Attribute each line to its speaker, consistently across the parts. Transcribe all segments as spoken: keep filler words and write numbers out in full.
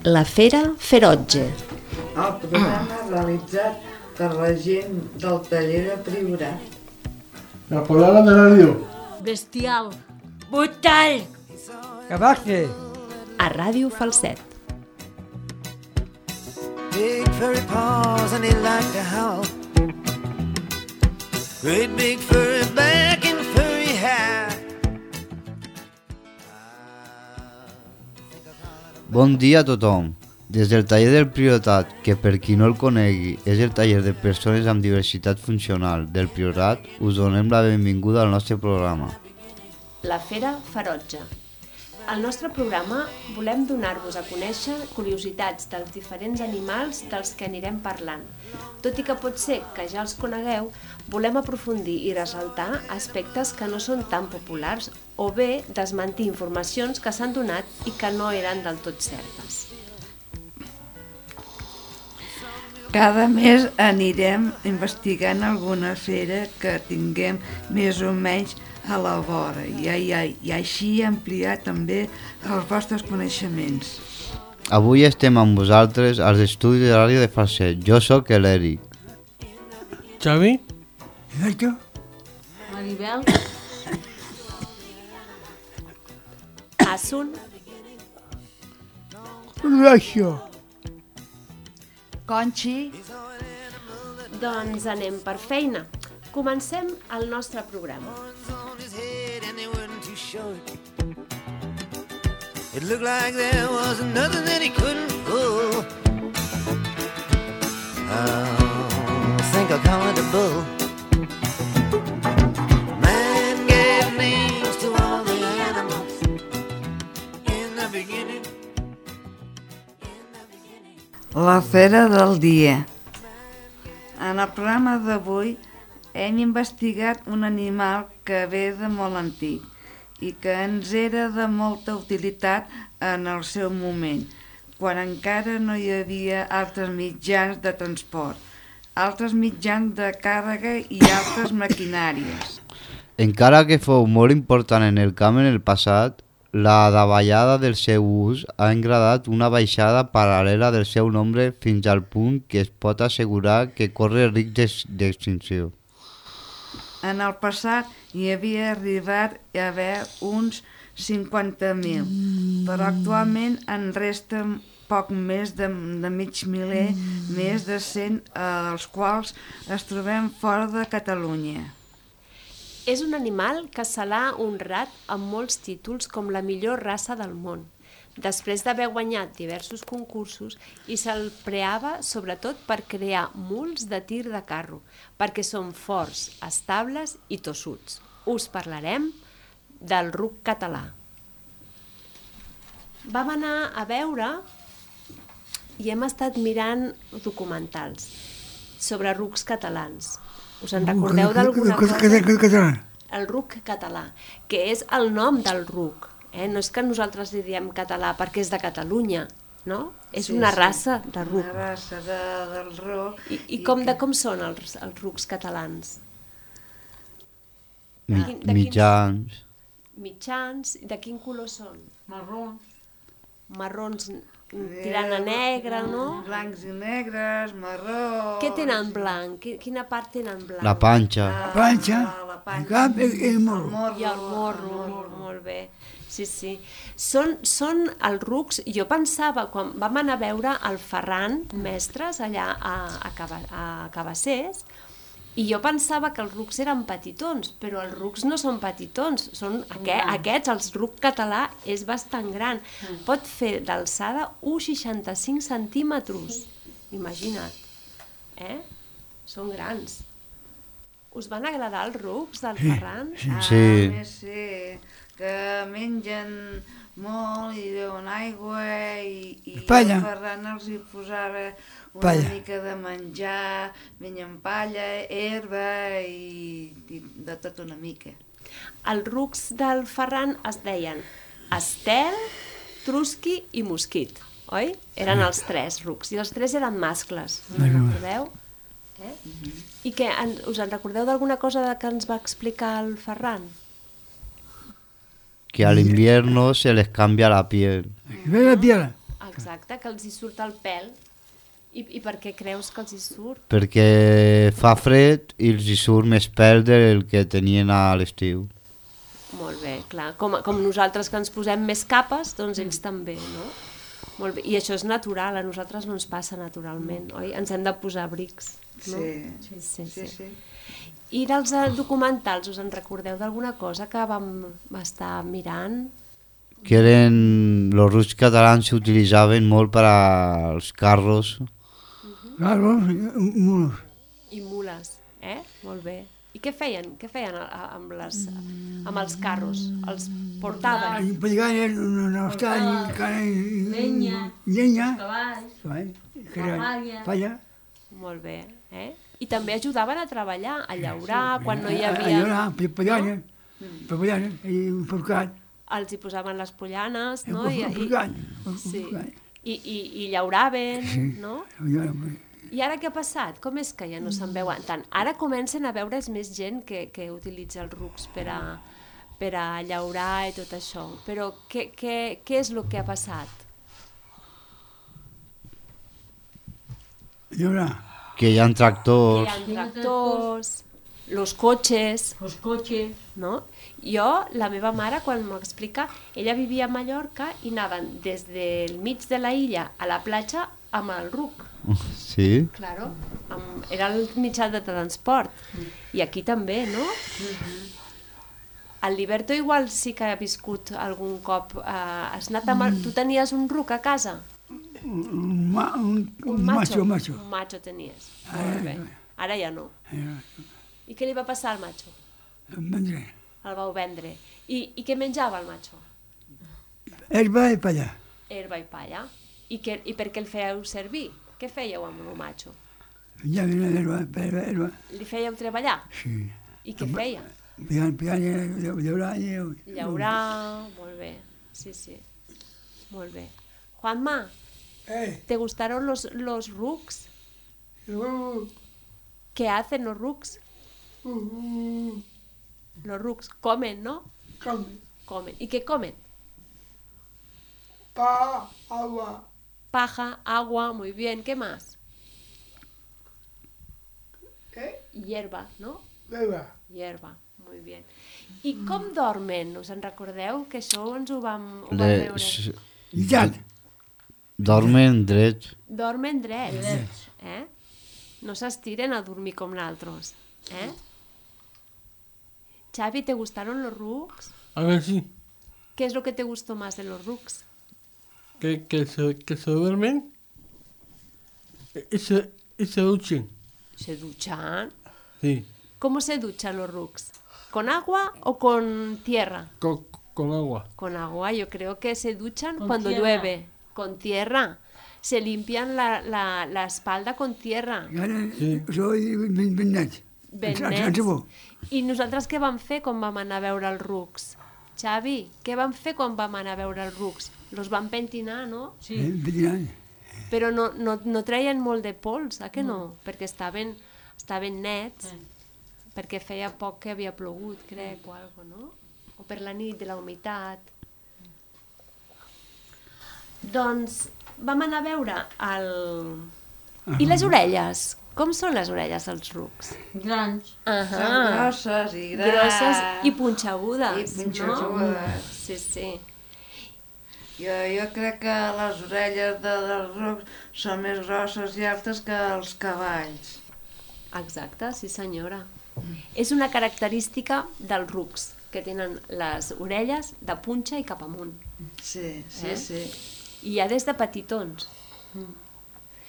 Speaker 1: La Fera Ferotge.
Speaker 2: El programa realitzat per la gent del taller de Priorat.
Speaker 3: El programa de ràdio.
Speaker 4: Bestial. Brutal.
Speaker 5: Cabaxe.
Speaker 1: A Ràdio Falset.
Speaker 6: Big furry paws and he liked to howl. Great big furry back and furry hair.
Speaker 7: Bon dia a tothom. Des del taller del Priorat, que per qui no el conegui és el taller de persones amb diversitat funcional del Priorat, us donem la benvinguda al nostre programa.
Speaker 1: La Fera Ferotge. Al nostre programa volem donar-vos a conèixer curiositats dels diferents animals dels que anirem parlant. Tot i que pot ser que ja els conegueu, volem aprofundir i ressaltar aspectes que no són tan populars o bé desmentir informacions que s'han donat i que no eren del tot certes.
Speaker 2: Cada mes anirem investigant alguna fera que tinguem més o menys a la vora i, i, i així ampliar també els vostres coneixements.
Speaker 7: Avui estem amb vosaltres als estudis de ràdio de Falset. Jo sóc l'Eric.
Speaker 3: Xavi?
Speaker 5: Exacto.
Speaker 4: Maribel.
Speaker 1: Asun.
Speaker 5: Horacio.
Speaker 2: Conchi.
Speaker 1: Doncs anem per feina. Comencem el nostre programa.
Speaker 6: It looked like there was nothing that he couldn't pull. I think I'll call it a bull. Man gave names to all the animals in the beginning.
Speaker 2: La fera del dia. En el programa d'avui hem investigat un animal que ve de molt antic i que ens era de molta utilitat en el seu moment, quan encara no hi havia altres mitjans de transport, altres mitjans de càrrega i altres maquinàries.
Speaker 7: Encara que fou molt important en el camp en el passat, la davallada del seu ús ha engradat una baixada paral·lela del seu nombre fins al punt que es pot assegurar que corre risc d'extinció.
Speaker 2: En el passat hi havia arribat a haver uns cinquanta mil, però actualment en resten poc més de, de mig miler, més de cent, eh, dels quals es trobem fora de Catalunya.
Speaker 1: És un animal que se l'ha honrat amb molts títols com la millor raça del món, després d'haver guanyat diversos concursos, i se'l preava sobretot per crear muls de tir de carro, perquè són forts, estables i tossuts. Us parlarem del ruc català. Vam anar a veure i hem estat mirant documentals sobre rucs catalans. Us en recordeu d'alguna cosa? El ruc català, que és el nom del ruc. Eh? No és que nosaltres li diem català perquè és de Catalunya, no? És sí, una raça sí. de ruc.
Speaker 2: Una raça de, del ruc.
Speaker 1: I, i, com, i que... de com són els, els rucs catalans?
Speaker 7: Mi, de quin, mitjans.
Speaker 1: Mitjans. De quin color són?
Speaker 4: Marrons.
Speaker 1: Marrons tirant a negre, no?
Speaker 2: Blancs i negres, marrons...
Speaker 1: Què tenen blanc? Quina part tenen blanc?
Speaker 7: La panxa.
Speaker 5: La panxa. La panxa. El cap i el morro.
Speaker 1: I el morro, molt, molt bé. Sí, sí. Són, són els rucs, jo pensava, quan vam anar a veure el Ferran Mestres allà a, a, Caba, a Cabassers, i jo pensava que els rucs eren petitons, però els rucs no són petitons, són aquest, aquests, el ruc català és bastant gran. Pot fer d'alçada u coma seixanta-cinc centímetres, imagina't. Eh? Són grans. Us van agradar els rucs del Ferran?
Speaker 7: Sí.
Speaker 2: Ah,
Speaker 7: sí.
Speaker 2: sí. Que mengen molt i beuen aigua i, i el Ferran els hi posava una palla. Mica de menjar, mengen palla, herba i, i de tot una mica.
Speaker 1: Els rucs del Ferran es deien Estel, Trusqui i Mosquit, oi? Eren els tres rucs i els tres eren mascles, no recordeu? Eh? Mm-hmm. I que, us en recordeu d'alguna cosa que ens va explicar el Ferran?
Speaker 7: Que al invierno se les cambia la piel.
Speaker 5: ¿Ve la piel?
Speaker 1: exacte, que els hi surt el pèl. I, I per què creus que els hi surt?
Speaker 7: Perquè fa fred i els hi surt més pèl del que tenien a l'estiu.
Speaker 1: Molt bé, clar. Com, com nosaltres que ens posem més capes, doncs ells també, no? Molt bé. I això és natural, a nosaltres no ens passa naturalment, oi? Ens hem de posar abrics, no?
Speaker 2: Sí,
Speaker 1: sí,
Speaker 2: sí,
Speaker 1: sí.
Speaker 2: sí.
Speaker 1: I dels eh, documentals, us en recordeu d'alguna cosa que vam estar mirant?
Speaker 7: Que eren... Los rucs catalans s'utilitzaven molt per als carros.
Speaker 5: Carros i mulos.
Speaker 1: I mules, eh? Molt bé. I què feien? Què feien a- a- amb, les, amb els carros? Els portaven?
Speaker 5: I pegaven en els talls, carn i...
Speaker 4: Llenya.
Speaker 5: Llenya.
Speaker 4: Cavalls.
Speaker 5: Cavall. Que
Speaker 4: La
Speaker 5: era
Speaker 4: palla.
Speaker 5: palla.
Speaker 1: Molt bé, eh? I també ajudaven a treballar, a llaurar, quan no hi
Speaker 5: A
Speaker 1: havia...
Speaker 5: llorar, pegaven, pegaven, i un porcat.
Speaker 1: Els hi posaven les pollanes, no?
Speaker 5: Un
Speaker 1: I, i,
Speaker 5: porcat.
Speaker 1: sí. I, i, i llauraven, no?
Speaker 5: I...
Speaker 1: I ara què ha passat? Com és que ja no se'n veuen tant? Ara comencen a veure's més gent que, que utilitza els rucs per a, per a llaurar i tot això. Però què, què, què és el que ha passat?
Speaker 5: Llorar.
Speaker 7: Que hi ha tractors.
Speaker 1: Hi ha tractors, los cotxes,
Speaker 4: Els cotxes.
Speaker 1: no? Jo, la meva mare, quan m'explica, ella vivia a Mallorca i anaven des del mig de la illa a la platja amb el ruc.
Speaker 7: Sí.
Speaker 1: Claro, amb, era el mitjà de transport. I aquí també, no? El Liberto igual sí que ha viscut algun cop. Eh, has anat amb el... Tu tenies un ruc a casa?
Speaker 5: Un, ma, un, un macho, macho.
Speaker 1: Un macho tenies. Molt bé. Ara ja no. I què li va passar al macho?
Speaker 5: Vendre.
Speaker 1: El vau vendre. I, i què menjava el macho?
Speaker 5: Herba i palla.
Speaker 1: Herba i palla. I, que, I per què el fèieu servir? Què fèieu amb el macho?
Speaker 5: Ja venia l'herba, herba, herba.
Speaker 1: Li fèieu treballar?
Speaker 5: Sí.
Speaker 1: I què feia?
Speaker 5: Pegant, pegant, llaurar i...
Speaker 1: Llaurar, molt bé. Sí, sí. Molt bé. Juanma,
Speaker 5: Eh,
Speaker 1: ¿te gustaron los, los rucs? ¿Qué hacen los rucs? Los rucs comen, ¿no? Comen. ¿Y qué comen?
Speaker 5: pa, agua,
Speaker 1: Paja, agua, muy bien. ¿Qué más?
Speaker 5: ¿qué?
Speaker 1: Hierba, ¿no?
Speaker 5: Herba.
Speaker 1: Hierba, muy bien. I com dormen? Us en recordeu? Que això ens ho vam, ho vam
Speaker 7: Les...
Speaker 1: veure.
Speaker 5: Llisat.
Speaker 7: Dormen drets.
Speaker 1: Dormen drets, eh? No s'estiren a dormir com nosaltres, eh? Xavi, ¿te gustaron los rucs?
Speaker 3: A ver, sí.
Speaker 1: ¿Qué es lo que te gustó más de los rucs?
Speaker 3: Que, que, se, que se duermen y se, y se duchen.
Speaker 1: ¿Se duchan?
Speaker 3: Sí.
Speaker 1: ¿Cómo se duchan los rucs? ¿Con agua o con tierra?
Speaker 3: Con, con agua.
Speaker 1: Con agua, yo creo que se duchan
Speaker 4: Con
Speaker 1: cuando
Speaker 4: tierra.
Speaker 1: llueve. Con tierra. Se limpian la, la, la espalda con tierra.
Speaker 5: I ara
Speaker 3: Sí.
Speaker 5: soy ben, ben net.
Speaker 1: Ben
Speaker 5: En
Speaker 1: nets.
Speaker 5: sabó.
Speaker 1: I nosaltres què vam fer quan vam anar a veure els rucs? Xavi, què vam fer quan vam anar a veure els rucs? Los vam pentinar, no?
Speaker 4: Sí.
Speaker 5: Eh, ben
Speaker 1: Però no, no, no treien molt de pols, eh que no? Perquè estaven, estaven nets, perquè feia poc que havia plogut, crec, o algo, no? O per la nit, de la humitat. Doncs vam anar a veure el... I les orelles? Com són les orelles dels rucs?
Speaker 4: Grans.
Speaker 2: Són
Speaker 1: Ahà.
Speaker 2: grosses i grans.
Speaker 1: Grosses i punxegudes,
Speaker 2: I punxegudes.
Speaker 1: no? Sí, sí.
Speaker 2: Jo, jo crec que les orelles de, dels rucs són més grosses i altes que els cavalls.
Speaker 1: Exacte, sí senyora. És una característica dels rucs, que tenen les orelles de punxa i cap amunt.
Speaker 2: Sí, sí,
Speaker 1: Eh?
Speaker 2: sí.
Speaker 1: I ja des de petitons.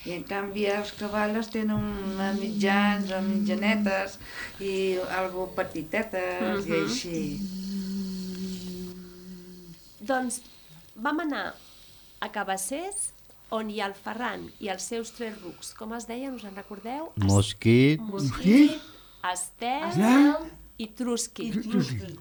Speaker 2: I en canvi els cavalls tenen una mitjans o mitjanetes i algo petitetes i
Speaker 1: Mhm.
Speaker 2: així.
Speaker 1: Doncs vam anar a Cabassers, on hi ha el Ferran i els seus tres rucs. Com es deien, us en recordeu?
Speaker 7: Mosquit.
Speaker 1: Mosquit, Estel
Speaker 5: Estel
Speaker 1: i Trusquit.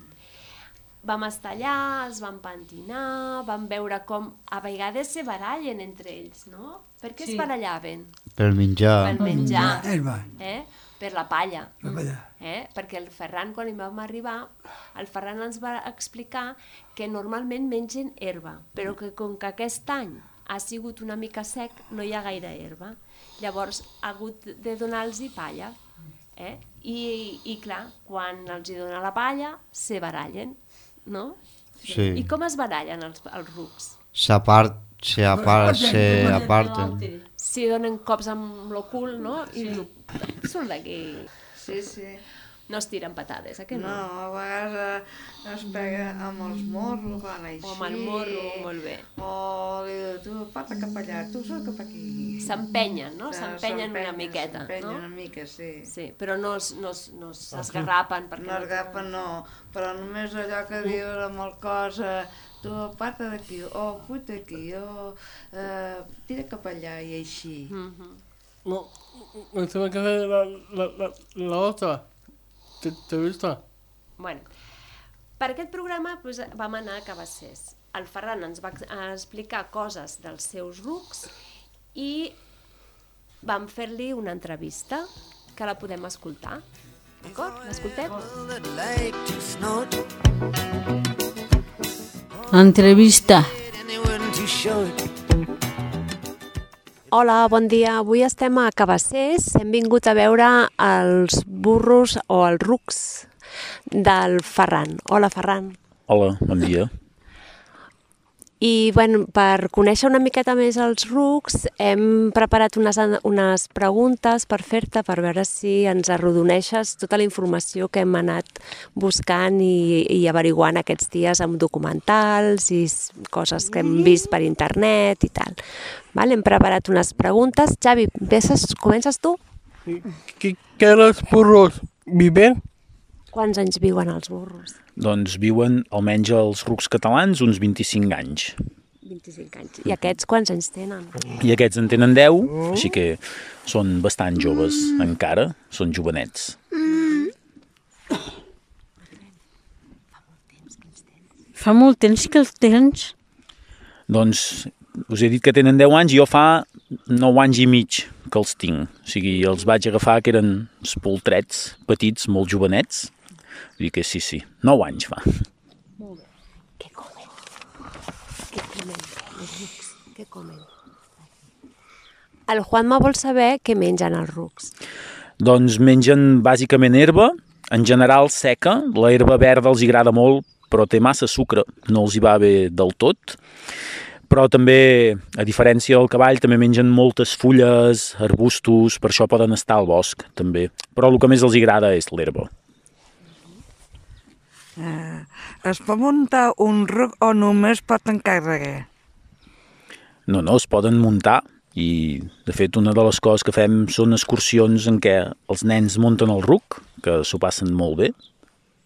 Speaker 1: Vam estar allà, els vam pentinar, vam veure com a vegades se barallen entre ells, no? Per què
Speaker 4: Sí.
Speaker 1: es barallaven?
Speaker 7: Per menjar.
Speaker 1: Per menjar,
Speaker 5: Herba.
Speaker 1: eh? Per la palla.
Speaker 5: La palla.
Speaker 1: Eh? Perquè el Ferran, quan hi vam arribar, el Ferran ens va explicar que normalment mengen herba, però que com que aquest any ha sigut una mica sec, no hi ha gaire herba. Llavors ha hagut de donar-los palla. Eh? I, I clar, quan els hi dona la palla, se barallen, no?
Speaker 7: Sí.
Speaker 1: I com es barallen els, els rucs?
Speaker 7: S'apart, se apart, se aparten.
Speaker 1: Si donen cops amb el cul, no? I surt d'aquí.
Speaker 2: Sí, sí.
Speaker 1: No es tiren patades, eh que no?
Speaker 2: No, a vegades eh, es pega amb els morros, van així.
Speaker 1: O amb el morro, molt bé.
Speaker 2: O li diu, tu, pata cap allà, tu surt cap aquí.
Speaker 1: S'empenyen, no? S'empenyen una miqueta,
Speaker 2: S'empenyen
Speaker 1: no?
Speaker 2: una mica, sí.
Speaker 1: Sí, però no es- no es- no s'esgarrapen. perquè
Speaker 2: No es gapen, no, però només allò que diuen amb el cos, eh, tu aparta d'aquí, o puta aquí, o eh, tira cap allà i així.
Speaker 1: Mhm.
Speaker 3: No, me tengo que hacer la, la, la, la otra. ¿Te, te gusta?
Speaker 1: Bueno, per aquest programa doncs, vam anar a Cabassers. El Ferran ens va ex- explicar coses dels seus rucs i vam fer-li una entrevista que la podem escoltar. D'acord? L'escoltem?
Speaker 6: That like to snort,
Speaker 4: Entrevista.
Speaker 6: anyone too short.
Speaker 1: Hola, bon dia. Avui estem a Cabassers. Hem vingut a veure els burros o els rucs del Ferran. Hola, Ferran.
Speaker 8: Hola, bon dia.
Speaker 1: I bueno, per conèixer una miqueta més els rucs hem preparat unes, unes preguntes per fer-te, per veure si ens arrodoneixes tota la informació que hem anat buscant i, i averiguant aquests dies amb documentals i s- coses que hem vist per internet i tal. Vale, hem preparat unes preguntes. Xavi, ves, comences tu?
Speaker 3: ¿Qué, qué los burros viven?
Speaker 1: Quants anys viuen els burros?
Speaker 8: Doncs viuen, almenys els rucs catalans, uns vint-i-cinc anys.
Speaker 1: vint-i-cinc anys. I aquests quants anys tenen?
Speaker 8: I aquests en tenen deu, així que són bastant joves encara, són jovenets.
Speaker 4: Fa molt temps que els tens.
Speaker 8: Doncs us he dit que tenen deu anys i jo fa nou anys i mig que els tinc. O sigui, els vaig agafar que eren espoltrets, petits, molt jovenets. Vull dir que sí, sí, nou anys fa.
Speaker 1: Què comen? Què comen? Els rucs, què comen? El Juanma vol saber què mengen els rucs.
Speaker 8: Doncs mengen bàsicament herba, en general seca. La herba verda els agrada molt, però té massa sucre, no els hi va bé del tot. Però també, a diferència del cavall, també mengen moltes fulles, arbustos, per això poden estar al bosc, també. Però el que més els agrada és l'herba.
Speaker 2: Eh, es pot muntar un ruc o només pot encarregar?
Speaker 8: No, no, es poden muntar i, de fet, una de les coses que fem són excursions en què els nens munten el ruc, que s'ho passen molt bé.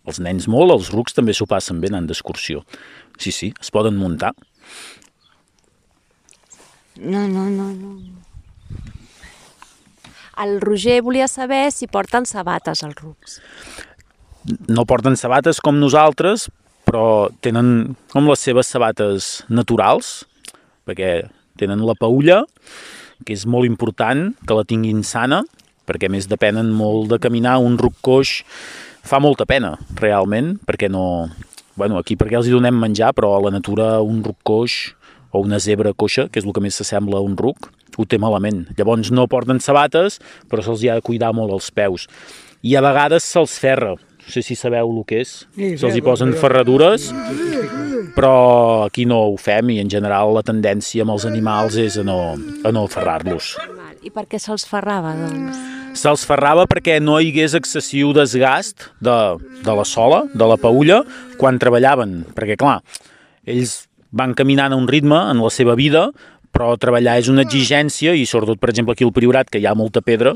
Speaker 8: Els nens molt, els rucs també s'ho passen bé anant d'excursió. Sí, sí, es poden muntar.
Speaker 4: No, no, no, no.
Speaker 1: El Roger volia saber si porten sabates els rucs.
Speaker 8: No porten sabates com nosaltres, però tenen com les seves sabates naturals, perquè tenen la paulla, que és molt important que la tinguin sana, perquè a més depenen molt de caminar. Un ruc coix fa molta pena, realment, perquè no... Bueno, aquí perquè els hi donem menjar, però a la natura un ruc coix o una zebra coixa, que és el que més s'assembla a un ruc, ho té malament. Llavors no porten sabates, però se'ls hi ha de cuidar molt els peus. I a vegades se'ls ferra. No sé si sabeu el que és. Se'ls hi posen ferradures, però aquí no ho fem i en general la tendència amb els animals és a no, a no ferrar-los.
Speaker 1: I per què se'ls ferrava, doncs?
Speaker 8: Se'ls ferrava perquè no hi hagués excessiu desgast de, de la sola, de la paulla, quan treballaven. Perquè, clar, ells van caminant a un ritme en la seva vida, però treballar és una exigència i sobretot, per exemple, aquí al Priorat, que hi ha molta pedra,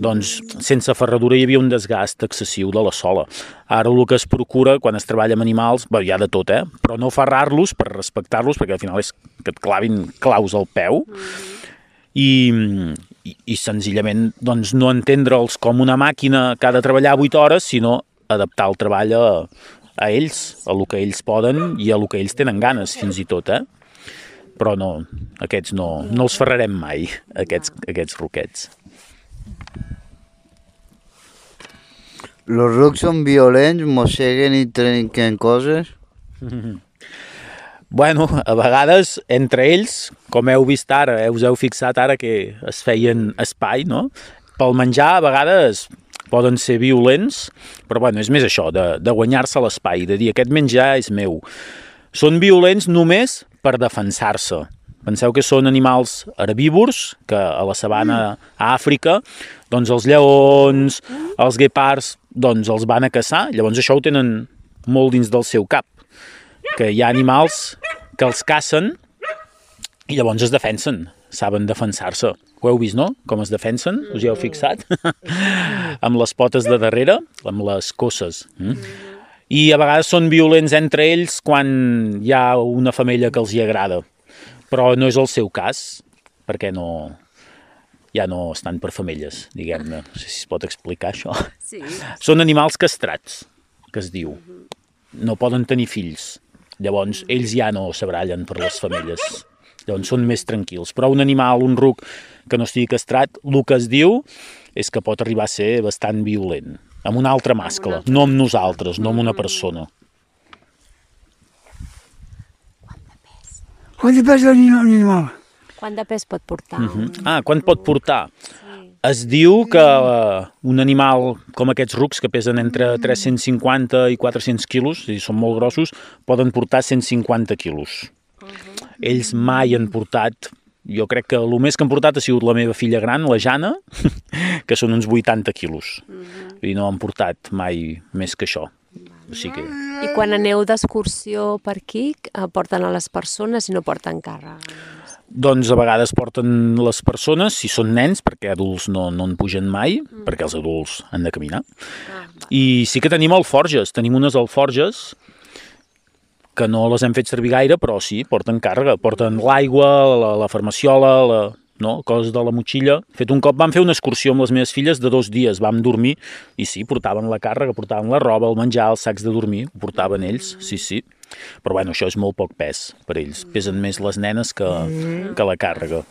Speaker 8: doncs sense ferradura hi havia un desgast excessiu de la sola. Ara el que es procura quan es treballa amb animals, bé, hi ha de tot, eh? Però no ferrar-los per respectar-los, perquè al final és que et clavin claus al peu, i, i, i senzillament doncs, no entendre'ls com una màquina que ha de treballar vuit hores, sinó adaptar el treball a, a ells, a lo que ells poden i a lo que ells tenen ganes, fins i tot, eh? Però no, aquests no, no els ferrarem mai, aquests, aquests ruquets.
Speaker 7: Los rucs són violents, mosseguen i trenquen coses?
Speaker 8: Bueno, a vegades, entre ells, com heu vist ara, eh, us heu fixat ara que es feien espai, no? Pel menjar, a vegades poden ser violents, però bueno, és més això, de, de guanyar-se l'espai, de dir aquest menjar és meu. Són violents només per defensar-se. Penseu que són animals herbívors, que a la sabana a Àfrica, doncs els lleons, els guepards, doncs els van a caçar, llavors això ho tenen molt dins del seu cap, que hi ha animals que els cacen i llavors es defensen, saben defensar-se. Ho heu vist, no? Com es defensen? Us hi heu fixat? Amb les potes de darrere, amb les cosses. Mm? I a vegades són violents entre ells quan hi ha una femella que els hi agrada. Però no és el seu cas, perquè no, ja no estan per femelles, diguem-ne. No sé si es pot explicar això.
Speaker 1: Sí.
Speaker 8: Són animals castrats, que es diu. No poden tenir fills. Llavors, ells ja no s'abrallen per les femelles. Llavors, són més tranquils. Però un animal, un ruc, que no estigui castrat, el que es diu és que pot arribar a ser bastant violent. Amb un altre mascle, no amb nosaltres, no amb una persona.
Speaker 5: Quant de pes l'animal?
Speaker 1: Quant de pes pot portar?
Speaker 8: Uh -huh. Ah, quant pot portar? Sí. Es diu que uh, un animal com aquests rucs, que pesen entre tres-cents cinquanta i quatre-cents quilos, és a dir, són molt grossos, poden portar cent cinquanta quilos. Uh -huh. Ells mai han portat, jo crec que el més que han portat ha sigut la meva filla gran, la Jana, que són uns vuitanta quilos. Uh -huh. I no han portat mai més que això. O sigui que...
Speaker 1: I quan aneu d'excursió per aquí, porten a les persones i no porten càrrega?
Speaker 8: Doncs a vegades porten les persones, si són nens, perquè adults no, no en pugen mai, mm. perquè els adults han de caminar. Ah, I sí que tenim alforges, tenim unes alforges que no les hem fet servir gaire, però sí, porten càrrega, porten l'aigua, la, la farmaciola, la, no, coses de la motxilla. Fet un cop vam fer una excursió amb les meves filles de dos dies, vam dormir, i sí, portaven la càrrega, portaven la roba, el menjar, els sacs de dormir, ho portaven ells, sí, sí. Però bueno, això és molt poc pes per ells. Pesen més les nenes que, que la càrrega.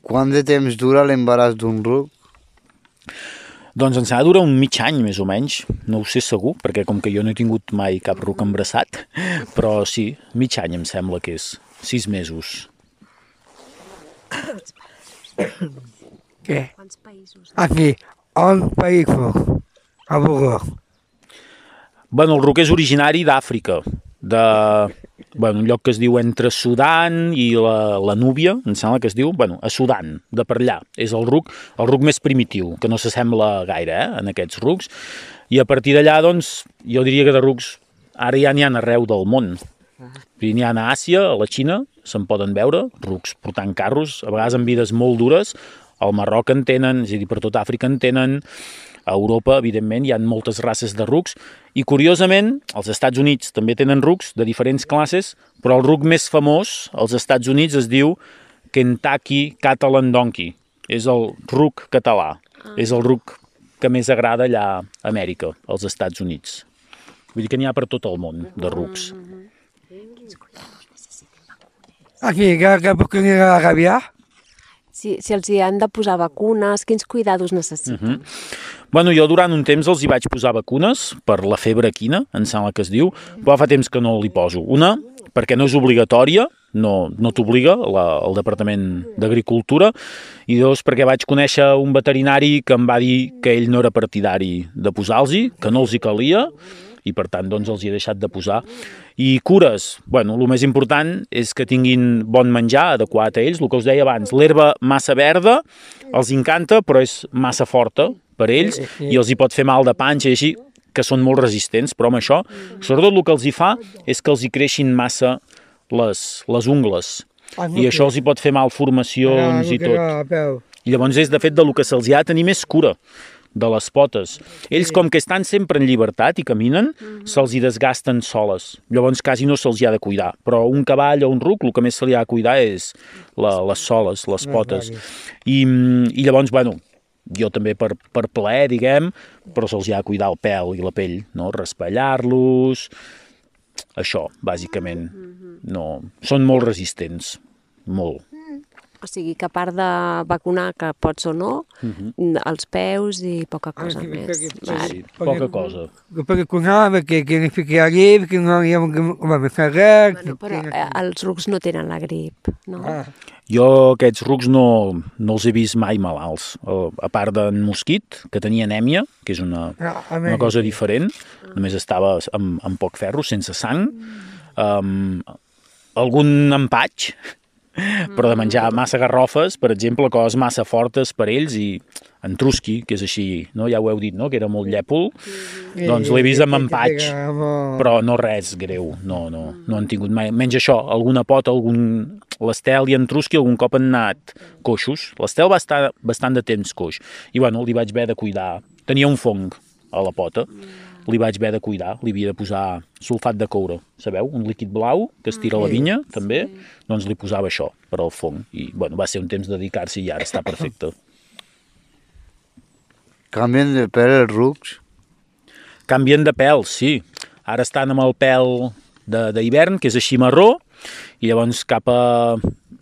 Speaker 7: Quant de temps dura l'embaràs d'un ruc?
Speaker 8: Doncs ens ha de durar un mig any, més o menys. No ho sé segur, perquè com que jo no he tingut mai cap ruc embarassat, però sí, mig any em sembla que és. Sis mesos.
Speaker 5: Què?
Speaker 1: Quants països?
Speaker 5: Aquí, on país fos? A Bogotà.
Speaker 8: Bueno, el ruc és originari d'Àfrica, de bueno, un lloc que es diu entre Sudan i la, la Núbia, em sembla que es diu, bueno, a Sudan, de per allà. És el ruc, el ruc més primitiu, que no s'assembla gaire eh, en aquests rucs. I a partir d'allà, doncs, jo diria que de rucs ara ja n'hi ha arreu del món. N'hi ha a Àsia, a la Xina, se'n poden veure, rucs portant carros, a vegades amb vides molt dures. Al Marroc en tenen, és a dir, per tot Àfrica en tenen. A Europa, evidentment, hi ha moltes races de rucs. I, curiosament, als Estats Units també tenen rucs de diferents classes, però el ruc més famós als Estats Units es diu Kentucky Catalan Donkey. És el ruc català. Ah. És el ruc que més agrada allà a Amèrica, als Estats Units. Vull dir que n'hi ha per tot el món, de rucs.
Speaker 5: Aquí, que, que puc anar a Gavià?
Speaker 1: Si, si els hi han de posar vacunes, quins cuidados necessiten? Uh -huh.
Speaker 8: Bueno, jo durant un temps els hi vaig posar vacunes per la febre equina, em sembla que es diu, però fa temps que no li poso. Una, perquè no és obligatòria, no, no t'obliga el Departament d'Agricultura, i dos, perquè vaig conèixer un veterinari que em va dir que ell no era partidari de posar-los-hi, que no els hi calia, i per tant doncs els hi he deixat de posar. I cures, bueno, el més important és que tinguin bon menjar adequat a ells, el que us deia abans, l'herba massa verda els encanta però és massa forta per ells i els hi pot fer mal de panxa i així, que són molt resistents, però amb això, sobretot el que els hi fa és que els hi creixin massa les, les ungles i això els hi pot fer malformacions i tot. I llavors és de fet del que se'ls hi ha de tenir més cura, de les potes. Ells, com que estan sempre en llibertat i caminen, se'ls hi desgasten soles. Llavors quasi no se'ls hi ha de cuidar. Però un cavall o un ruc, el que més se li ha de cuidar és la, les soles, les potes. I, i llavors, bueno, jo també per, per plaer, diguem, però se'ls hi ha de cuidar el pèl i la pell, no? Raspallar-los, això, bàsicament. No, són molt resistents, molt.
Speaker 1: O sigui que a part de vacunar, que pots o no,
Speaker 8: Mhm.
Speaker 1: els peus i poca cosa
Speaker 5: Anche
Speaker 1: més.
Speaker 5: perché-
Speaker 1: Vale.
Speaker 8: Sí, poca cosa.
Speaker 5: Perché con perché che ne fichi lì, perché non abbiamo come fare.
Speaker 1: Bueno, però eh, els rucs no tenen la grip, no?
Speaker 5: Ah,
Speaker 8: Jo aquests rucs no, no els he vist mai malalts. Eh, A part d'en Mosquit, que tenia anèmia, que és una,
Speaker 5: ah, a
Speaker 8: una
Speaker 5: me-
Speaker 8: cosa diferent, només estava amb, amb poc ferro, sense sang. Um, algun empatx, però de menjar massa garrofes, per exemple, coses massa fortes per ells, i en Trusky, que és així, no? Ja ho heu dit, no? Que era molt llèpol, doncs l'he vist amb empatx, però no res greu, no, no, no han tingut mai. Menys això, alguna pota, algun... L'Estel i en Trusky algun cop han anat coixos. L'Estel va estar bastant de temps coix. I bueno, li vaig haver de cuidar. Tenia un fong a la pota. Li vaig haver de cuidar. Li havia de posar sulfat de coure. Sabeu? Un líquid blau que es tira a la vinya, també. Doncs li posava això per al fong. I bueno, va ser un temps de dedicar-s'hi i ara està perfecte.
Speaker 7: Canvien de pèl els rucs?
Speaker 8: Canvien de pèl, sí. Ara estan amb el pèl de- d'hivern, que és així marró, i llavors cap a...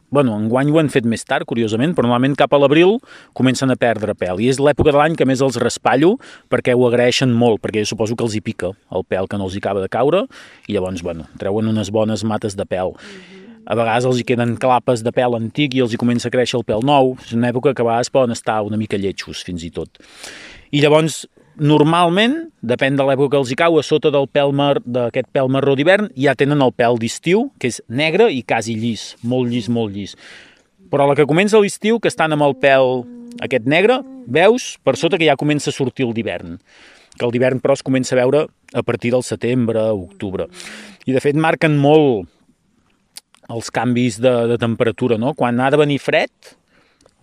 Speaker 8: Bueno, enguany ho han fet més tard, curiosament, però normalment cap a l'abril comencen a perdre pèl. I és l'època de l'any que més els raspallo perquè ho agraeixen molt, perquè jo suposo que els hi pica el pèl que no els hi acaba de caure, i llavors, bueno, treuen unes bones mates de pèl. A vegades els hi queden clapes de pèl antic i els hi comença a créixer el pèl nou. És una època que a vegades poden estar una mica lletjos, fins i tot. I llavors, normalment, depèn de l'època que els hi cau, a sota del pèl mar, d'aquest pèl marró d'hivern ja tenen el pèl d'estiu, que és negre i quasi llis, molt llis, molt llis. Però a la que comença l'estiu, que estan amb el pèl aquest negre, veus per sota que ja comença a sortir el d'hivern. Que el d'hivern, però, es comença a veure a partir del setembre, octubre. I, de fet, marquen molt els canvis de, de temperatura, no? Quan ha de venir fred,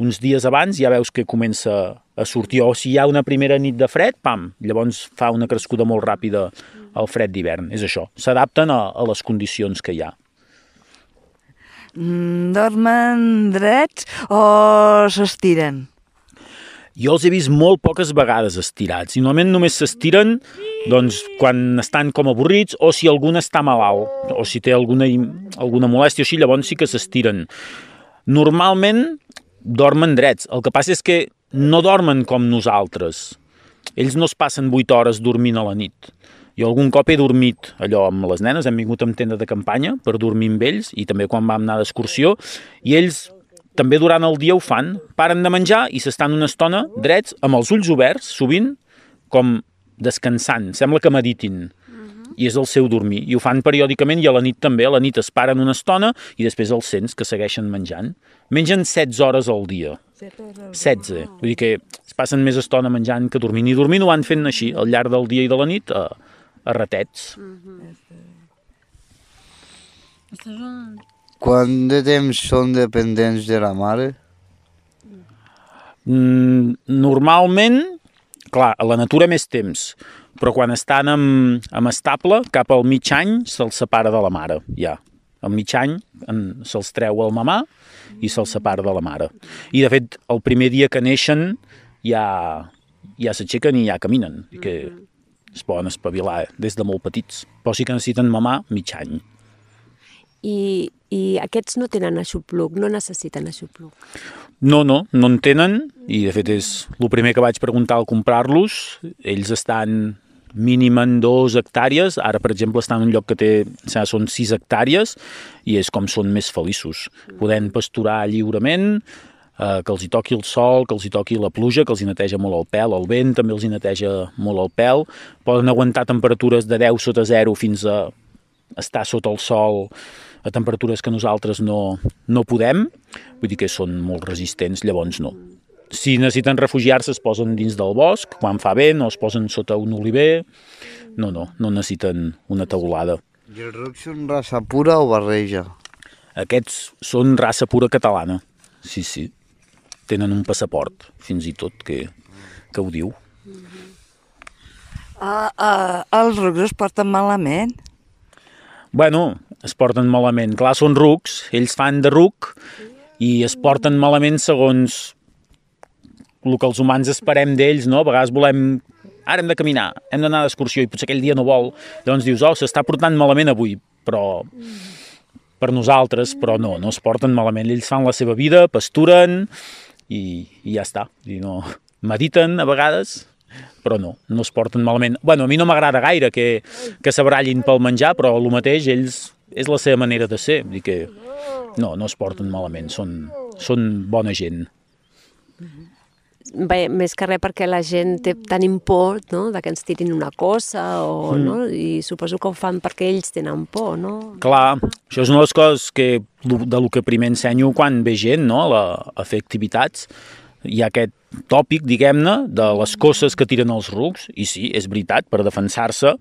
Speaker 8: uns dies abans ja veus que comença a sortir, o si hi ha una primera nit de fred, pam, llavors fa una crescuda molt ràpida al fred d'hivern. És això, s'adapten a, a les condicions que hi ha.
Speaker 2: Mm, dormen drets o s'estiren?
Speaker 8: Jo els he vist molt poques vegades estirats, i normalment només s'estiren doncs, quan estan com avorrits o si algun està malalt, o si té alguna, alguna molèstia o així, llavors sí que s'estiren. Normalment dormen drets, el que passa és que no dormen com nosaltres. Ells no es passen vuit hores dormint a la nit. Jo algun cop he dormit allò amb les nenes, hem vingut amb tenda de campanya per dormir amb ells, i també quan vam anar d'excursió, i ells també durant el dia ho fan, paren de menjar i s'estan una estona drets, amb els ulls oberts, sovint, com descansant, sembla que meditin, i és el seu dormir, i ho fan periòdicament, i a la nit també, a la nit es paren una estona i després els sents que segueixen menjant. Mengen setze hores al dia. setze. Vull dir que es passen més estona menjant que dormint, i dormint ho van fent així, al llarg del dia i de la nit, a, a ratets.
Speaker 7: Quant de temps són dependents de la mare?
Speaker 8: Mm, normalment, clar, a la natura més temps, però quan estan amb, amb estable, cap al mig any se'ls separa de la mare, ja. Al mig any en, se'ls treu el mamà i se'ls separa de la mare. I, de fet, el primer dia que neixen ja, ja s'aixequen i ja caminen, i que es poden espavilar des de molt petits. Però sí que necessiten mamà mig any.
Speaker 1: I, I aquests no tenen aixopluc, no necessiten aixopluc.
Speaker 8: No, no, no en tenen, i de fet és el primer que vaig preguntar al comprar-los. Ells estan mínim en dos hectàrees, ara per exemple estan en un lloc que té, són sis hectàrees, i és com són més feliços. Podent pasturar lliurement, eh, que els hi toqui el sol, que els hi toqui la pluja, que els hi neteja molt el pèl, el vent també els hi neteja molt el pèl, poden aguantar temperatures de deu sota zero fins a estar sota el sol a temperatures que nosaltres no, no podem, vull dir que són molt resistents, llavors no. Si necessiten refugiar-se es posen dins del bosc, quan fa vent, o es posen sota un oliver, no, no, no necessiten una teulada.
Speaker 7: I els rucs són raça pura o barreja?
Speaker 8: Aquests són raça pura catalana, sí, sí. Tenen un passaport, fins i tot, que, que ho diu.
Speaker 2: Ah, ah, els rucs es porten malament?
Speaker 8: Bueno, es porten malament. Clar, són rucs, ells fan de ruc i es porten malament segons el que els humans esperem d'ells, no? A vegades volem... Ara hem de caminar, hem d'anar d'excursió i potser aquell dia no vol. Llavors dius, oh, s'està portant malament avui, però per nosaltres, però no, no es porten malament. Ells fan la seva vida, pasturen i, i ja està. I no, mediten a vegades, però no, no es porten malament. Bueno, a mi no m'agrada gaire que, que s'abrallin pel menjar, però el mateix, ells, és la seva manera de ser. Vull dir que no, no es porten malament, són, són bona gent.
Speaker 1: Bé, més que res perquè la gent té, tenim por, no?, de que ens tirin una cosa, o, mm. no? I suposo que ho fan perquè ells tenen por, no?
Speaker 8: Clar, això és una de les coses que, de lo que primer ensenyo quan ve gent, no?, a, a fer activitats. Hi ha aquest tòpic, diguem-ne, de les coses que tiren els rucs, i sí, és veritat, per defensar-se,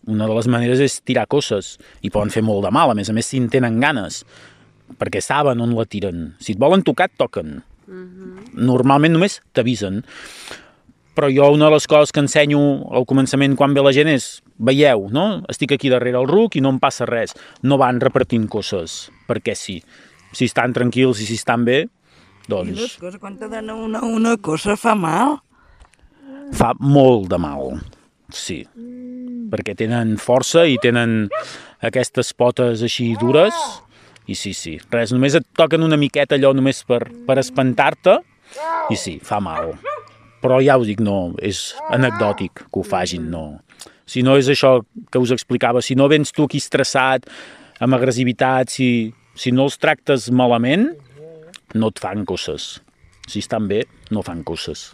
Speaker 8: una de les maneres és tirar coses, i poden fer molt de mal, a més a més si en tenen ganes, perquè saben on la tiren. Si et volen tocar, et toquen. Normalment només t'avisen, però jo una de les coses que ensenyo al començament quan ve la gent és, veieu, no? Estic aquí darrere el ruc i no em passa res, no van repartint coses, perquè sí, si estan tranquils i si estan bé, doncs...
Speaker 2: I les coses, quan te donen una, una cosa fa mal?
Speaker 8: Fa molt de mal, sí, perquè tenen força i tenen aquestes potes així dures. I sí, sí, res, només et toquen una miqueta allò només per, per espantar-te, i sí, fa mal. Però ja us dic, no, és anecdòtic que ho fagin, no. Si no és això que us explicava, si no vens tu aquí estressat, amb agressivitat, si, si no els tractes malament, no et fan coses. Si estan bé, no fan coses.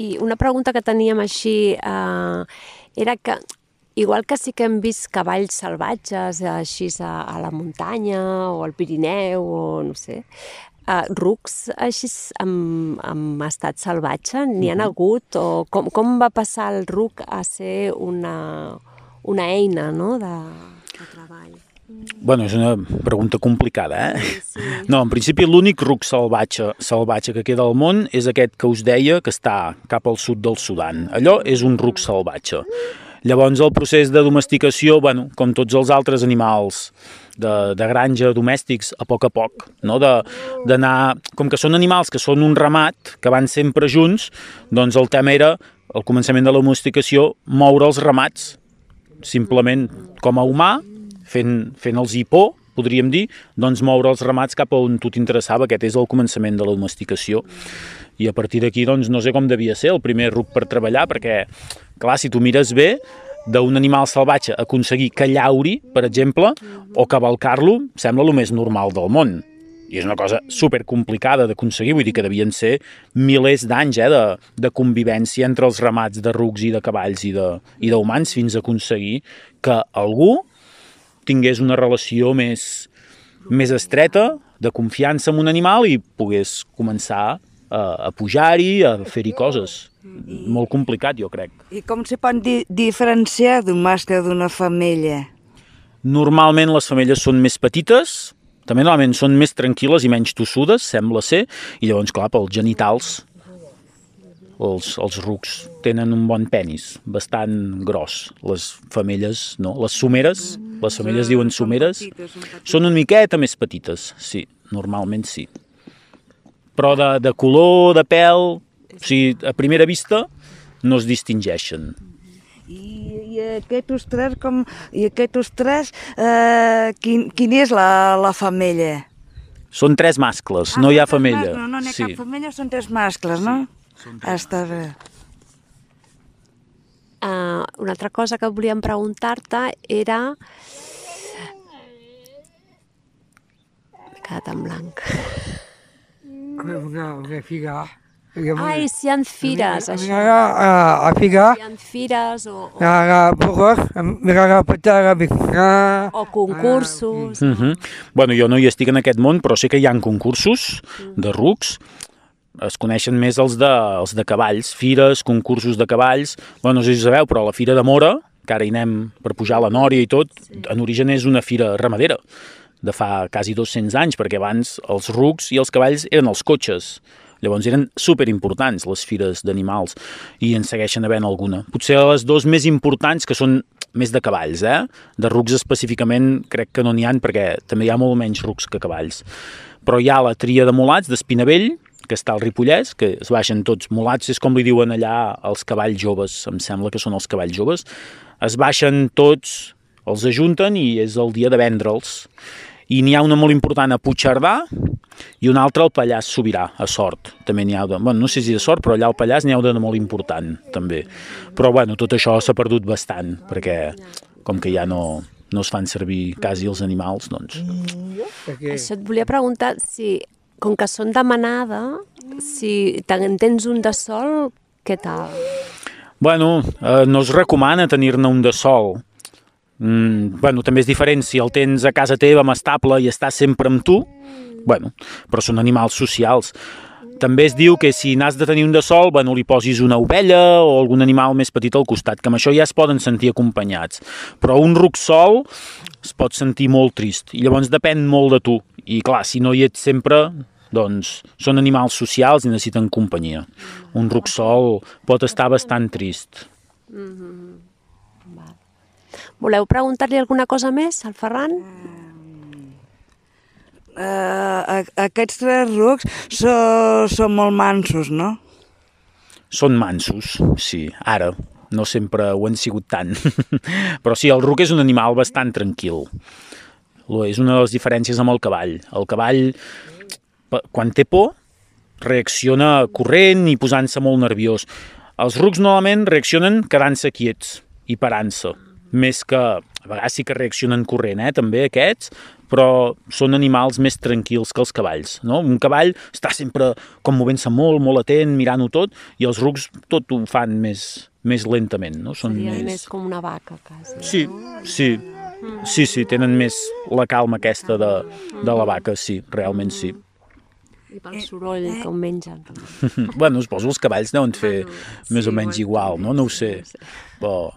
Speaker 1: I una pregunta que teníem així eh, era que... Igual que sí que hem vist cavalls salvatges així a, a la muntanya o al Pirineu o no sé, uh, rucs així amb, amb estat salvatge, n'hi han hagut? O com, com va passar el ruc a ser una, una eina, no?, de, de treball?
Speaker 8: Bueno, és una pregunta complicada, eh? Sí, sí. No, en principi l'únic ruc salvatge, salvatge que queda al món és aquest que us deia que està cap al sud del Sudan. Allò és un ruc salvatge. Llavors el procés de domesticació, bueno, com tots els altres animals de, de granja domèstics, a poc a poc, no? D'anar, com que són animals que són un ramat, que van sempre junts, doncs el tema era, al començament de la domesticació, moure els ramats, simplement com a humà, fent, fent els hipó, podríem dir, doncs moure els ramats cap a on tu t'interessava, aquest és el començament de la domesticació. I a partir d'aquí, doncs, no sé com devia ser el primer ruc per treballar, perquè, clar, si tu mires bé, d'un animal salvatge aconseguir que llauri, per exemple, o cavalcar-lo, sembla el més normal del món. I és una cosa supercomplicada d'aconseguir, vull dir que devien ser milers d'anys eh, de, de convivència entre els ramats de rucs i de cavalls i d'humans fins a aconseguir que algú tingués una relació més, més estreta, de confiança en un animal i pogués començar a, a pujar-hi, a fer-hi coses. Molt complicat, jo crec.
Speaker 2: I com se pot di diferenciar d'un mascle d'una femella?
Speaker 8: Normalment les femelles són més petites, també normalment són més tranquil·les i menys tossudes, sembla ser, i llavors, clar, pels genitals, els, els rucs tenen un bon penis, bastant gros. Les femelles, no. Les someres, les femelles diuen someres, són una miqueta més petites, sí, normalment sí. Però de, de color, de pèl... O sigui, a primera vista no es distingeixen.
Speaker 2: I, i aquests tres, com, i aquests tres eh, quin, quin és la, la femella?
Speaker 8: Són tres mascles, ah, no hi ha femella.
Speaker 2: No, no n'hi ha
Speaker 8: sí.
Speaker 2: cap femella, són tres mascles, no?
Speaker 8: Sí, són tres.
Speaker 2: Està bé.
Speaker 1: Uh, una altra cosa que volíem preguntar-te era... M'he quedat en blanc.
Speaker 5: Una, una figa.
Speaker 1: Ai, si hi ha fires, això.
Speaker 5: A figa.
Speaker 1: Si hi ha fires o... O,
Speaker 5: O
Speaker 1: o concursos.
Speaker 8: Uh -huh. Bueno, jo no hi estic en aquest món, però sé que hi ha concursos de rucs. Es coneixen més els de, els de cavalls, fires, concursos de cavalls. Bueno, no sé si sabeu, però la Fira de Móra, que ara hi anem per pujar la Nòria i tot, en origen és una fira ramadera de fa quasi dos-cents anys, perquè abans els rucs i els cavalls eren els cotxes. Llavors eren superimportants les fires d'animals i en segueixen havent alguna. Potser les dues més importants, que són més de cavalls, eh? De rucs específicament crec que no n'hi ha perquè també hi ha molt menys rucs que cavalls. Però hi ha la tria de mulats d'Espinavell, que està al Ripollès, que es baixen tots mulats, és com li diuen allà els cavalls joves, em sembla que són els cavalls joves. Es baixen tots els ajunten i és el dia de vendre'ls. I n'hi ha una molt important a Puigcerdà i una altra al Pallars Sobirà, a Sort. També n'hi ha de, bueno, no sé si de Sort, però allà al Pallars n'hi ha de molt important, també. Però bueno, tot això s'ha perdut bastant, perquè com que ja no, no es fan servir quasi els animals, doncs...
Speaker 1: Això et volia preguntar si, com que són de manada, si te'n tens un de sol, què tal?
Speaker 8: Bueno, eh, no es recomana tenir-ne un de sol. Mm, bueno, també és diferent si el tens a casa teva amb estable i està sempre amb tu, bueno, però són animals socials. També es diu que si n'has de tenir un de sol, bueno, li posis una ovella o algun animal més petit al costat, que amb això ja es poden sentir acompanyats. Però un ruc sol es pot sentir molt trist i llavors depèn molt de tu. I clar, si no hi ets sempre, doncs són animals socials i necessiten companyia. Un ruc sol pot estar bastant trist.
Speaker 1: Mm-hmm. Voleu preguntar-li alguna cosa més al Ferran?
Speaker 2: Uh, aquests tres rucs so, són molt mansos, no?
Speaker 8: Són mansos, sí, ara. No sempre ho han sigut tant. Però sí, el ruc és un animal bastant tranquil. És una de les diferències amb el cavall. El cavall, quan té por, reacciona corrent i posant-se molt nerviós. Els rucs normalment reaccionen quedant-se quiets i parant-se. Més que, a vegades sí que reaccionen corrent, eh, també aquests, però són animals més tranquils que els cavalls, no? Un cavall està sempre com movent-se molt, molt atent, mirant-ho tot, i els rucs tot ho fan més, més lentament, no? Són
Speaker 1: Seria
Speaker 8: més...
Speaker 1: més com una vaca, quasi.
Speaker 8: Sí, sí, sí, sí, tenen més la calma aquesta de, de la vaca, sí, realment sí.
Speaker 1: I pel soroll que ho mengen.
Speaker 8: Bueno, suposo els cavalls deuen fer més o menys igual, no? No ho sé, però...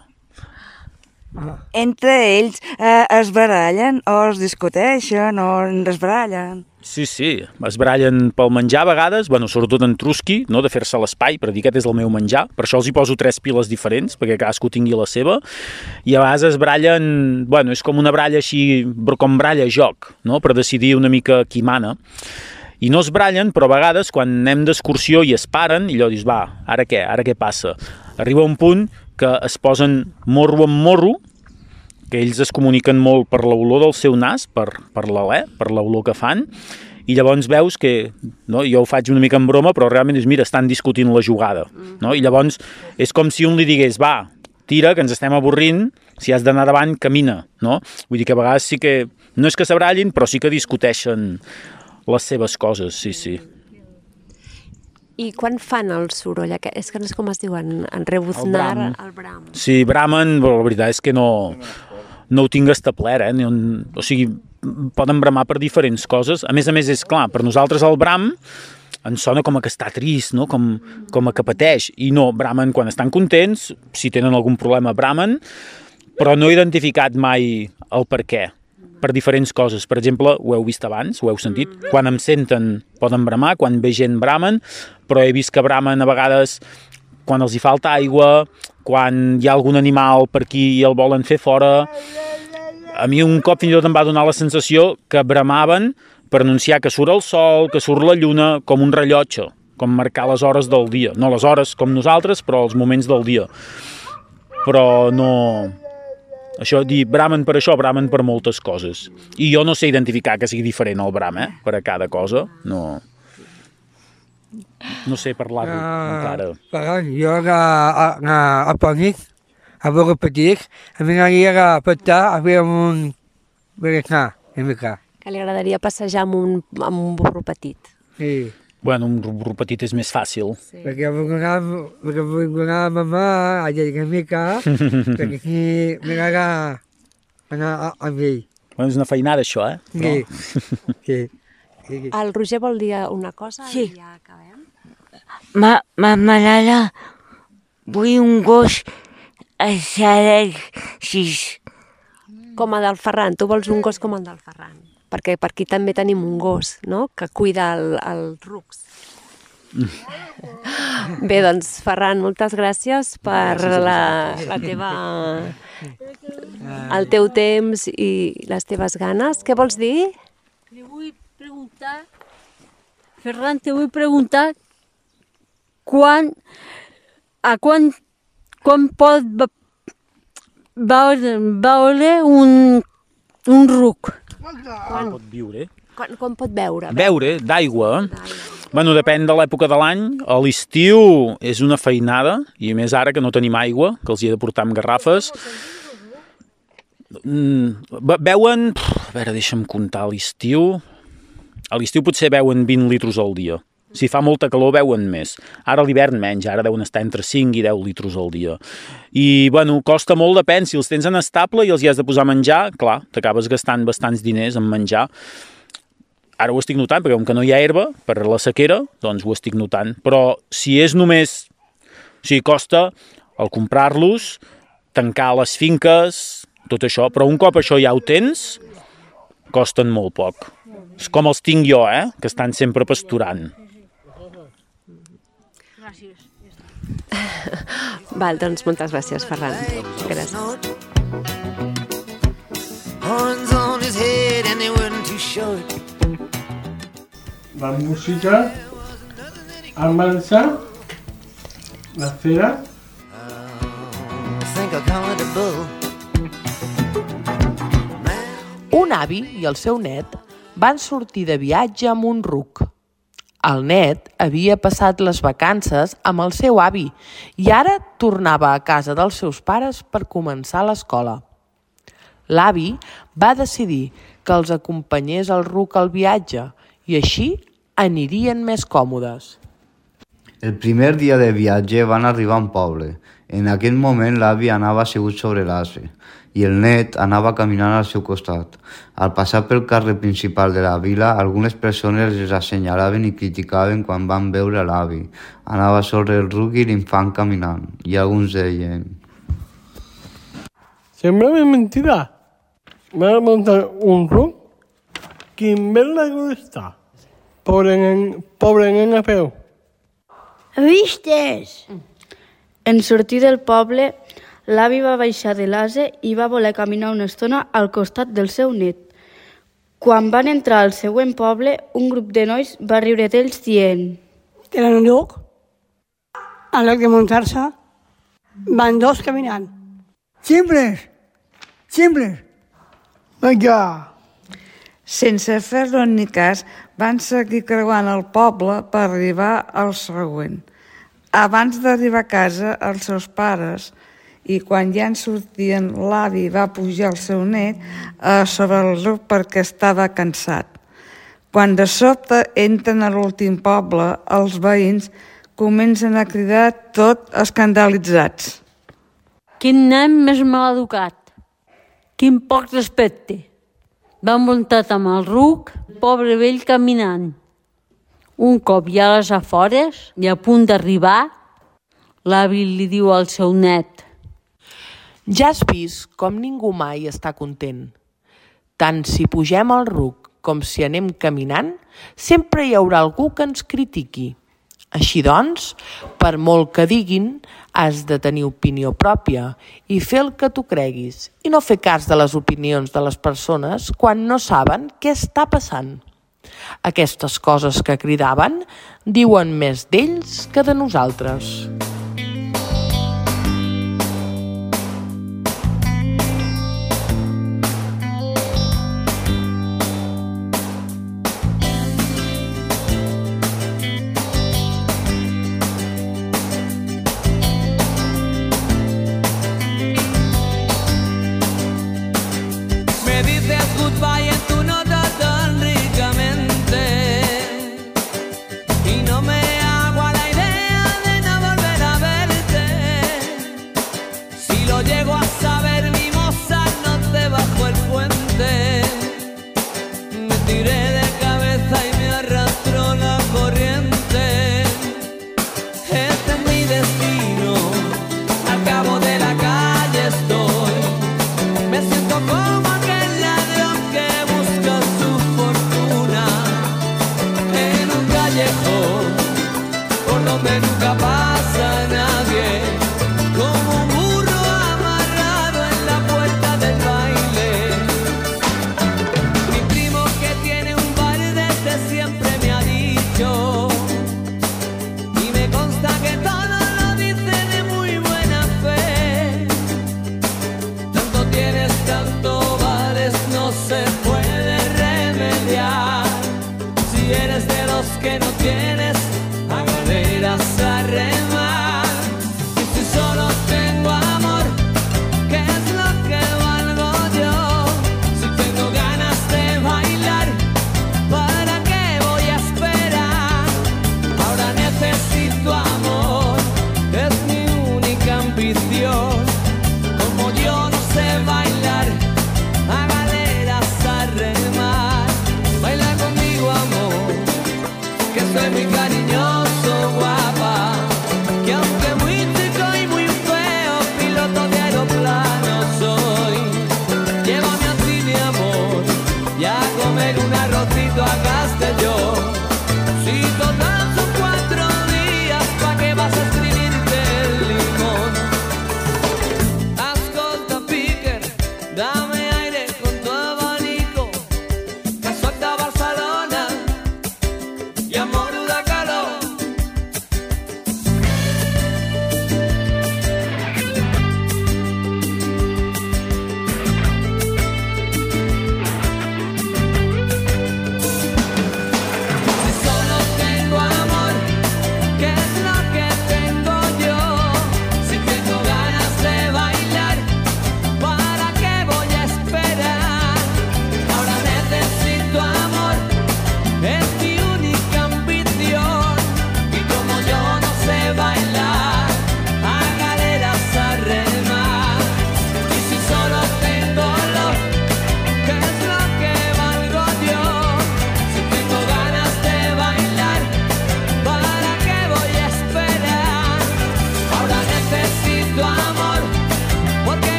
Speaker 2: Entre ells eh, es barallen o es discuteixen o es barallen.
Speaker 8: Sí, sí, es barallen pel menjar a vegades, bueno, sobretot en Trusky, no? De fer-se l'espai, per dir aquest és el meu menjar, per això els hi poso tres piles diferents, perquè cadascú tingui la seva, i a vegades es barallen, bueno, és com una baralla així, com baralla joc, no? Per decidir una mica qui mana. I no es barallen, però a vegades quan anem d'excursió i es paren, i allò dius, va, ara què, ara què passa? Arriba un punt que es posen morro amb morro, que ells es comuniquen molt per l'olor del seu nas, per, per l'alè, per l'olor que fan, i llavors veus que, no, jo ho faig una mica en broma, però realment és, mira, estan discutint la jugada, no? I llavors és com si un li digués, va, tira, que ens estem avorrint, si has d'anar davant, camina, no? Vull dir que a vegades sí que, no és que s'abrallin, però sí que discuteixen les seves coses, sí, sí.
Speaker 1: I quan fan el soroll? És que no és com es diuen, en rebuznar,
Speaker 8: el bram.
Speaker 1: el bram.
Speaker 8: Sí, bramen, però la veritat és que no, no ho tinc establert, eh? O sigui, poden bramar per diferents coses. A més a més, és clar, per nosaltres el bram ens sona com a que està trist, no? com, com a que pateix. I no, bramen quan estan contents, si tenen algun problema bramen, però no he identificat mai el per què. Per diferents coses. Per exemple, ho heu vist abans, ho heu sentit? Quan em senten poden bramar, quan ve gent bramen, però he vist que bramen a vegades quan els hi falta aigua, quan hi ha algun animal per aquí i el volen fer fora. A mi un cop fins i tot em va donar la sensació que bramaven per anunciar que surt el sol, que surt la lluna, com un rellotge, com marcar les hores del dia. No les hores com nosaltres, però els moments del dia. Però no... Això, dir bramen per això, bramen per moltes coses. I jo no sé identificar que sigui diferent el bram, eh? Per a cada cosa. No, no sé parlar-ho uh, encara.
Speaker 5: Però jo a, a, a, a Ponit, a veure petits, a mi m'agradaria a petar a fer un berenar, una mica.
Speaker 1: Que li agradaria passejar amb un, amb un burro petit.
Speaker 5: Sí.
Speaker 8: Bueno, un burro petit és més fàcil.
Speaker 5: Sí. Perquè vull anar, perquè vull anar a mamà, a llegir una mica, perquè aquí m'agrada anar amb ell.
Speaker 8: Bueno, és una feinada, això, eh?
Speaker 5: Però... Sí. Sí.
Speaker 1: Sí. El Roger vol dir una cosa
Speaker 4: Sí.
Speaker 1: i ja acabem.
Speaker 4: Ma, ma malala, vull un gos així.
Speaker 1: Com el del Ferran, tu vols un gos com el del Ferran. Perquè per aquí també tenim un gos, no?, que cuida el, el rucs. Bé, doncs, Ferran, moltes gràcies per la, la teva, el teu temps i les teves ganes. Què vols dir?
Speaker 4: Te vull preguntar, Ferran, te vull preguntar quan, a quan, quan pot va, va oler un, un ruc.
Speaker 8: Quan pot viure?
Speaker 1: Com, com pot beure?
Speaker 8: Beure, d'aigua. Bueno, depèn de l'època de l'any. A l'estiu és una feinada, i a més ara que no tenim aigua, que els hi he de portar amb garrafes. Beuen, a veure, deixa'm comptar, a l'estiu... A l'estiu potser beuen vint litros al dia. Si fa molta calor, beuen més. Ara a l'hivern menys, ara deuen estar entre cinc i deu litros al dia. I, bueno, costa molt, depèn. Si els tens en estable i els hi has de posar a menjar, clar, t'acabes gastant bastants diners en menjar. Ara ho estic notant, perquè com que no hi ha herba per la sequera, doncs ho estic notant. Però si és només... O sigui, costa el comprar-los, tancar les finques, tot això. Però un cop això ja ho tens, costen molt poc. És com els tinc jo, eh? Que estan sempre pasturant.
Speaker 4: Gràcies.
Speaker 1: Val, doncs moltes gràcies, Ferran. Gràcies.
Speaker 6: Horns on his head and they weren't too short.
Speaker 3: La música, el marxar, la fera.
Speaker 6: Think I'll call it a bull.
Speaker 9: Un avi i el seu net van sortir de viatge amb un ruc. El net havia passat les vacances amb el seu avi i ara tornava a casa dels seus pares per començar l'escola. L'avi va decidir que els acompanyés el ruc al viatge i així anirien més còmodes.
Speaker 7: El primer dia de viatge van arribar a un poble. En aquell moment l'avi anava assegut sobre l'ase i el net anava caminant al seu costat. Al passar pel carrer principal de la vila, algunes persones els assenyalaven i criticaven quan van veure l'avi. Anava sobre el ruc i l'infant caminant, i alguns deien...
Speaker 3: Sembla ben mentida. Van a montar un ruc. Quin bel lago està. Pobre nen, pobre nen a peu.
Speaker 10: Vistes? En sortir del poble, l'avi va baixar de l'ase i va voler caminar una estona al costat del seu net. Quan van entrar al següent poble, un grup de nois va riure d'ells dient...
Speaker 11: Tenen un lloc, en lloc de muntar-se, van dos caminant. Simples, simples. Vinga.
Speaker 2: Sense fer-lo ni cas, van seguir creuant el poble per arribar al següent. Abans d'arribar a casa, els seus pares, i quan ja en sortien, l'avi va pujar el seu net a sobre el ruc perquè estava cansat. Quan de sobte entren a l'últim poble, els veïns comencen a cridar tot escandalitzats.
Speaker 4: Quin nen més mal educat. Quin poc respecte. Va muntat amb el ruc, pobre vell caminant. Un cop ja a les afores i a punt d'arribar, l'avi li diu al seu net:
Speaker 9: Ja has vist com ningú mai està content. Tant si pugem al ruc com si anem caminant, sempre hi haurà algú que ens critiqui. Així doncs, per molt que diguin, has de tenir opinió pròpia i fer el que tu creguis i no fer cas de les opinions de les persones quan no saben què està passant. Aquestes coses que cridaven diuen més d'ells que de nosaltres.
Speaker 6: Me dices goodbye en tu nota tan ricamente y no me hago a la idea de no volver a verte. Si lo llego a saber, mi moza, no te bajo el puente. Me tiré de cabeza y me arrastró la corriente. Este es mi destino, al cabo de la calle estoy. Me siento como aquel ladrón que busca su fortuna en un callejón por donde nunca pasa nadie, como un burro amarrado en la puerta del baile. Mi primo que tiene un bar desde siempre me ha dicho, y me consta que todo lo dice de muy buena fe.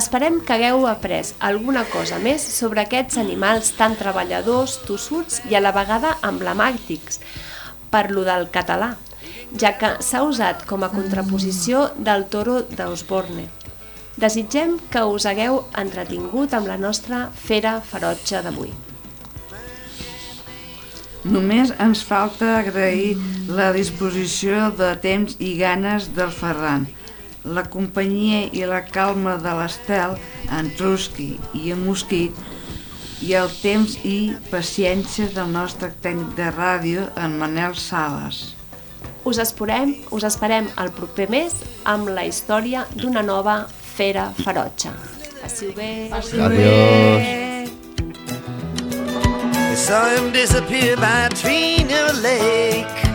Speaker 1: Esperem que hagueu après alguna cosa més sobre aquests animals tan treballadors, tossuts i a la vegada emblemàtics per lo del català, ja que s'ha usat com a contraposició del toro d'Osborne. Desitgem que us hagueu entretingut amb la nostra fera ferotge d'avui.
Speaker 2: Només ens falta agrair la disposició de temps i ganes del Ferran, la companyia i la calma de l'Estel, en Trusky i en Mosquit, i el temps i paciència del nostre tècnic de ràdio, en Manel Sales.
Speaker 1: Us esperem, us esperem el proper mes amb la història d'una nova fera ferotge. Passi-ho bé.
Speaker 7: Adiós.
Speaker 6: I saw him disappear by Trina Lake.